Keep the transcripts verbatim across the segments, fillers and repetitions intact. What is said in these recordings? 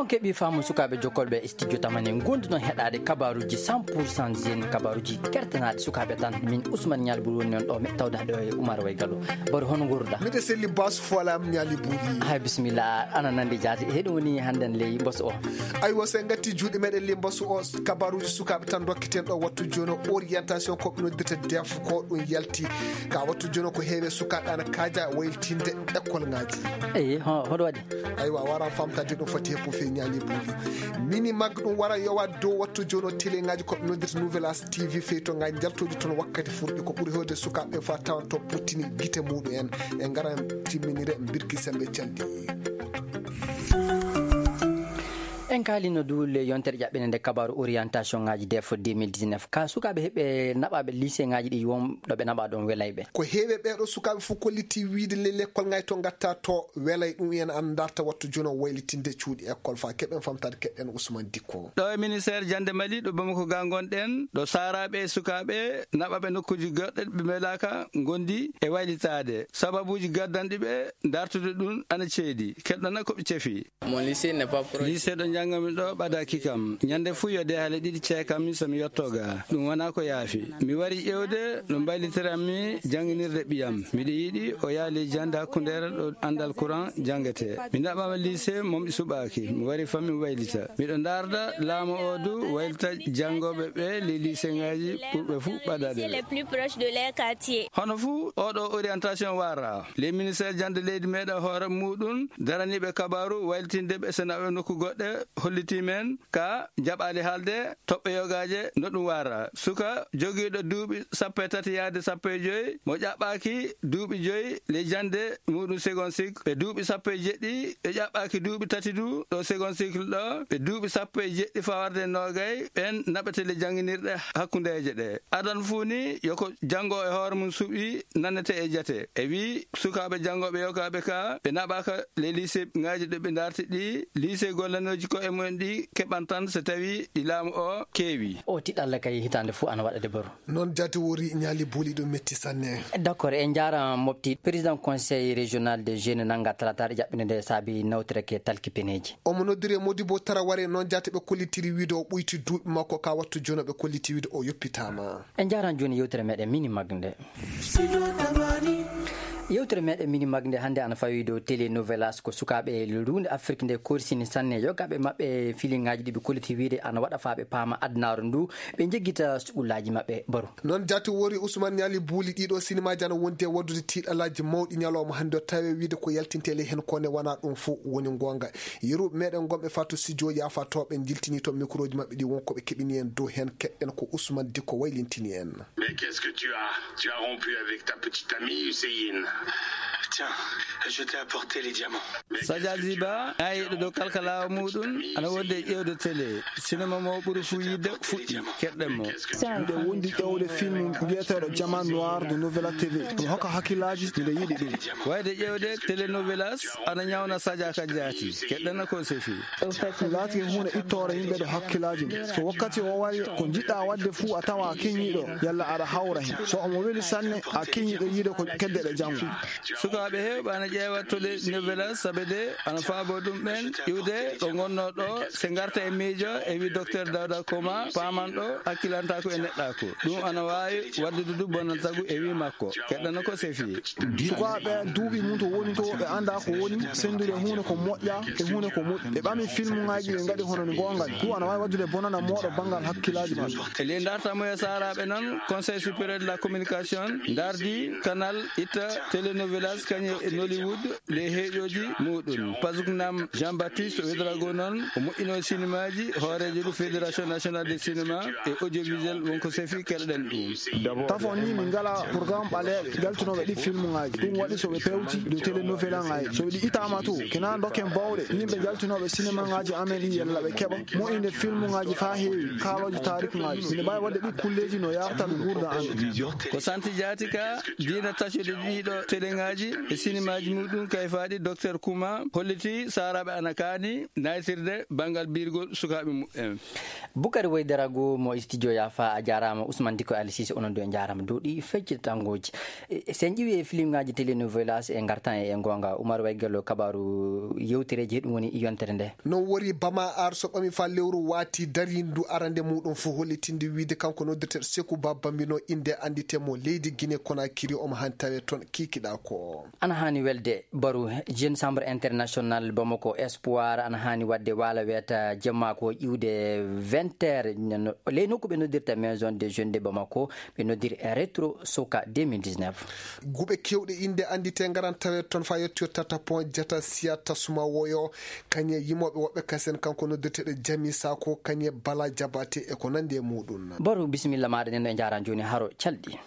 Keɓi faamu sukaaɓe jokkolɓe e studio tamani, ngonduɗon heɗaade kabaaruuji cent pour cent jeune, kabaaruuji kertanaaɗi sukaaɓe tan. Min Ousmane Nialbou woni on ɗo, mi tawda ɗo e Oumar Way Gallo. Baro, hono ngorruɗaa? Miɗo selli Basu Folam Niali Buuɗi. Hay bisimilla, ana nandi jaati. Heɗum woni hannden ley mbasu o. Aywa, so en ngatti juuɗe meɗen ley mbasu o, kabaaruuji sukaaɓe tan ndokkiten ɗo wattu jooni o, orientation ko ɓe noddirta def ko ɗum yalti. Ka wattu jooni ko heewe sukaaɓe ana kaaja waylitinde école ŋaaji. Eyi, ho-, hoɗo waɗi? Aywa, a wara famtade ɗum foti heppu fe Niali Buuɗi. Mini mag ɗum wara yowa dow wattu jooni o télé ŋaaji ko ɓe noddirta Nouvelle As T V feyto ŋaaji njaltooji toon wakkati furɓe ko ɓuri heewde sukaaɓe fa tawanto puttini gite muɗum en. E ngaran timminire mbirki sembe calɗi. En kaalino du le yontere ƴaɓɓene nde kabaaru orientation ŋaaji def deux mille dix-neuf. Ka sukaaɓe heɓe naɓaaɓe lycée ŋaaji ɗi won ɗo ɓe naɓa ɗon welayɓe. Ko heewe ɓeeɗo sukaaɓe fof kolliti wiide le l'école ŋaaji to ngatta to welay ɗum en an darta wattu jono waylitinde cuuɗi école fa keɓen famtade keɗen Ousmane Dikko. Ɗo e ministère jannde Mali, ɗo Bamako ga ngonɗen, ɗo saaraaɓe e sukaaɓe naɓaɓe nokkuuji goɗɗe ɓe mbelaaka ngondi e waylitaade. Sababuuji gaddanɗi ɓe dartude ɗum ana ceedi. Keɗɗana ko ɓe cefi. Mon lycée n'est pas proche. Lycée ɗo njannganmi ɗo ɓadaaki kam. Ñannde fuu yo de hale ɗiɗi ceekammi so mi yotto ga. Ɗum wonaa ko yaafi. Mi wari ƴeewde no mbaylitiranmi jannginirde ɓiyam. Miɗo yiɗi o yaha ley jannde hakkundeere ɗo anndal Quran janngete. Mi naɓaama lycée mo mi suɓaaki. Mi wari fan mi waylita. Miɗo ndaarda laamu o du waylita janngooɓe ɓe ley lycée ŋaaji ɓurɓe fuu ɓadaade ɓe. Les plus proches de leur quartier. Hono fuu oɗo orientation wara. Ley ministère jannde leydi meɗen hoore muɗum daraniiɓe kabaaru waylitinde ɓe so naɓe nokku goɗɗe hollitii men ka jaɓaali haalde toɓɓe yogaaje no ɗum wara. Suka jogiiɗo duuɓi sappo e tati yaade sappo e joy mo ƴaɓɓaaki duuɓi joy ley jannde muɗum second cycle, ɓe duuɓi sappo e jeɗɗi ɓe ƴaɓɓaaki duuɓi tati du ɗo second cycle ɗo, ɓe duuɓi sappo e jeɗɗi fawarde e noogay, ɓen naɓete le jannginirɗe hakkundeeje ɗe. Adan fuu ni yo ko janngo e hoore mum suɓi nanete e jate. E wii sukaaɓe janngooɓe yogaaɓe ka ɓe naɓaaka le lycée ŋaaji ɗo ɓe ndarti ɗi, lycée gollanooji ko e mumen ɗi keɓan tan so tawi ɗi laamu o keewi. O tiɗalla kay hitaande fuu ana waɗa de baro. Noon jaati wori ñaali buuliɗo metti sanne. D'accord, en njaara mofti président conseil régional des jeunes nannga talataare jaɓɓinde nde saabi nawtoreke talki peneeji. Omo noddiri e Modibo Taraware noon jaati ɓe kollitiri wiide o ɓoyti duuɓi makko ka wattu jooni ɓe kolliti wiide o yoppitaama. En njaaraan jooni yewtere meɗen mini mag nde. Yewtere meɗen mini mag nde hannde ana fawi dow télé Novelas ko sukaaɓe luunde Afrik nde korsini sanne yogaaɓe maɓɓe filiŋaaji ɗi ɓe kolliti wiide ana waɗa faa ɓe paama adunaaru ndu ɓe njeggita suɓulaaji maɓɓe baro. Noon jaati wori Ousmane Niali buuli ɗiɗo sinimaaji ana wondi e waddude tiiɗalaaji mawɗi ñalawma hannde o tawi wiide ko yaltinte ley heen ko ne wonaa ɗum fof woni ngoonga. Yeru meɗen gonɓe Fatou Sidio yaafa to ɓe jiltini to microji maɓɓe ɗi won ko ɓe keɓini en dow heen keɗɗen ko Ousmane Dikko waylintini en. Mais qu'est-ce que tu as? Tu as rompu avec ta petite amie Hussein. Tiens, je t'ai apporté les diamants. Sadia Ziba, aayiɗo dow kalkalaawa muɗum, ana wonde e ƴeewde télé. Sinema mo ɓuri fuu yiɗde fuɗɗi, keɗɗen mo. Miɗo wondi ƴeewde film mbiyeteeɗo Diamant Noir de Novela T V. Ɗum hokka hakkillaaji, miɗo yiɗi ɗum. Wayde ƴeewde telenovelas, ana ñawna Sadia ka jaati. Keɗɗen ko sefi. Ɗum laatike huunde ittoore yimɓe ɗo hakkillaaji mum. So wakkati o wari, ko njiɗɗa waɗde fuu a tawa a keñiiɗo, yalla aɗa hawra heen. So omo weli sanne, a keñiiɗo yiide ko kedde ɗe janngo. Sukaaɓe heewɓe ana ƴeewa tole novelas sabe de ana faabo ɗum ɓen iwde ɗo ngonnoo ɗo, se ngarta e miijo e wi Docteur Dawda Koma, paamanɗo hakkilantaaku e neɗɗaaku. Ɗum ana waawi waɗdude du bonantagu e wi makko. Keɗɗana ko sefi. Sukaaɓe duuɓi mum to woni to, ɓe annda ko woni senndude huunde ko moƴƴa e huunde ko moƴƴi. Ɓe ɓami filmuŋaaji, ɓe ngaɗi hono ni goonga. Ɗum ana waawi waɗdude bonana mooɗo banngal hakkillaaji maɓɓe. E ley dartamuya saaraaɓe noon, Conseil supérieur de la communication ndardi kanal itta telenovelas kañum e Nollywood, ley heeƴooji muɗum. Pazuknam Jean-Baptiste Ouedraogo noon, o moƴƴino sinimaaji, hooreejo du Fédération nationale de cinéma et audiovisuel, wonko sefi keɗoɗen ɗum. Tafo ni min ngala programme ɓaleeɓe jaltunooɓe ɗi filmuŋaaji. Ɗum waɗi so ɓe pewti dow telenovelaŋaaji. So ɗi ittaama to, kena dokken bawɗe yimɓe jaltunooɓe sinemaŋaaji amen ɗi yalla ɓe keɓa moƴƴinde filmuŋaaji faa heewi kaalooji taarikuŋaaji. Miɗo mbaawi waɗde ɗi kulleeji no yartan nguurndam amen. Ko santi jaati ka diina taccude ɗiɗo Teleŋaaji e sinimaaji muɗum kayfaaɗi, Docteur Kuma holliti saaraaɓe ana kaani naytirde banngal birgol sukaaɓe muɓɓen. Bukari Waydara Go mo studio Yafa, a jaaraama. Ousmane Diko Ali Cissé, onon du en njaaraama dow ɗi feccitangooji. E, sen ƴiwi e filmŋaaji telenovelas e ngartan e, e ngoonga. Oumar Waygello, kabaaru yewtereeji, heɗum woni yontere nde. Non wori Bama Ar so ɓami fa lewru waati darindu arande muɗum fu hollitinde wiide kanko noddirteeɗo Seku Ba Bambino, innde anndite mo leydi Guinée Conakry, omo han tawe toon kiikiɗa ko. Ana haani welde baru. Jeune Chambre International Bamako Espoir ana haani waɗde waala weeta jemma ko iwde vingt heures, no, ley nokku ɓe noddirta Maison des Jeunes de Bamako, ɓe noddiri Retro Soca deux mille dix-neuf. Guɓe kewɗe innde anndite ngaran tawe toon fa yettoyo tata pon jata siya tasuma woyo, kañe yimooɓe woɓɓe kasen kanko noddirteeɗo Jami Sako, kañe Bala Jabate e ko nandi e muɗum. Baru, bisimilla maɗa, nen e njaran jooni haro calɗi.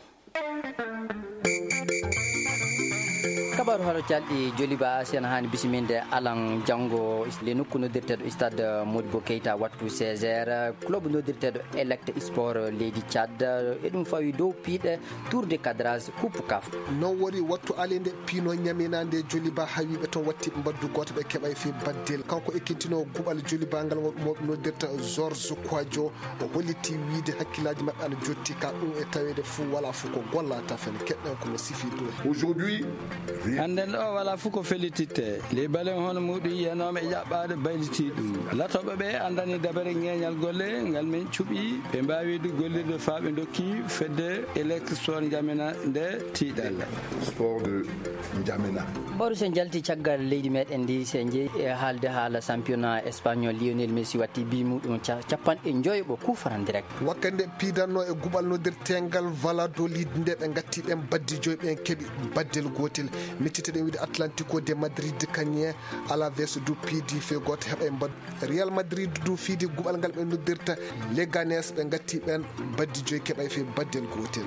Kabaru haro calɗi joliba, si ana haani bisiminde alan janngo le nokku noddirteeɗo Stade Modibo Keita wattu seize heures, club noddirteeɗo Elect Sport leydi Tchad, e ɗum fawi dow piiɗe Tour de cadrage Coupe caf. Non wori wattu alinde piino ñaminande joliba hawiɓe toon watti mbaddu gooto ɓe keɓay fi baddel. Kanko ekkintino guɓal joliba ngal mo noddirta George Kwadjo, o holliti wiide hakkillaaji maɓɓe ana jotti ka ɗum e taweede fuu wala fuu ko gollata fen. Keɗɗen ko no sifi dow. Aujourd'hui, rien. Hannden ɗo wala fuu ko fellititte. Les baleines hono muɗum yiyanooɓe e ƴaɓɓaade bayliti ɗum. Latooɓe ɓe anndani dabere ñeeñal golle ngal min cuɓi. Ɓe mbaawi du gollirde faa ɓe ndokki fedde Elect Sport Njamena nde tiiɗal. Sport de Njamena. Baru, sen jalti caggal leydi meɗen ndi, sen jeyi e haalde haala championnat espagnol. Lionel Messi watti bi muɗum ca-, capanɗe njoyo ɓo coup franc direct. Wakkande piidanno e guɓal noddirtengal Valladolid nde ɓe ngatti ɓen baddi joyi, ɓen keɓi baddel gootel. Miccite ɗen wiide Atlético de Madrid kañe Alaves du piidi fe gooto heɓa e mbaddu. Real Madrid du fiidi guɓal ngal ɓe noddirta Leganes, ɓe ngatti ɓen baddi joyi keɓay fe baddel gootel.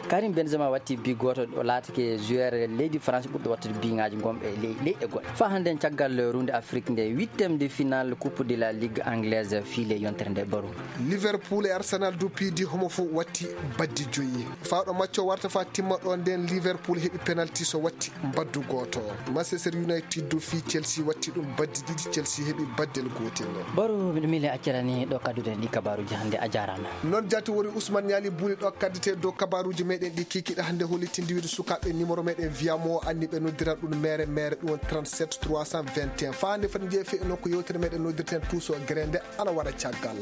Karim Benzema watti bi gooto, o laatake joueur leydi France ɓurɗo wattude biŋaaji gonɓe e ley-, leyɗe goɗɗe. Faa hannden caggal runde Afrique nde, huitième de finale Coupe de la Ligue anglaise fii le yontere nde baru. Liverpool e Arsenal du piidi, homo fof watti baddi joyi. Faa ɗo macco warta faa timma ɗo nden Liverpool heɓi penalty so watti mbaddu gooto. Manchester United du fii Chelsea watti ɗum baddi ɗiɗi, Chelsea heɓi baddel gootel. Baru, miɗo miile accirani ɗo kadduɗen ɗi kabaaruuji hannde, a jaaraama. Noon jaati woni Ousmane Niali Buli ɗo kaddete dow kabaaruuji meɗen ɗi kiikiɗe hannde hollitinde wiide sukaaɓe numéro meɗen Viamo anni ɓe noddiran ɗum mere mere ɗum woni trente-sept trois cent vingt et un. Faa hannde foti jeefe nokku yewtere meɗen noddirten Tuuso Gere nde ana wara caggal.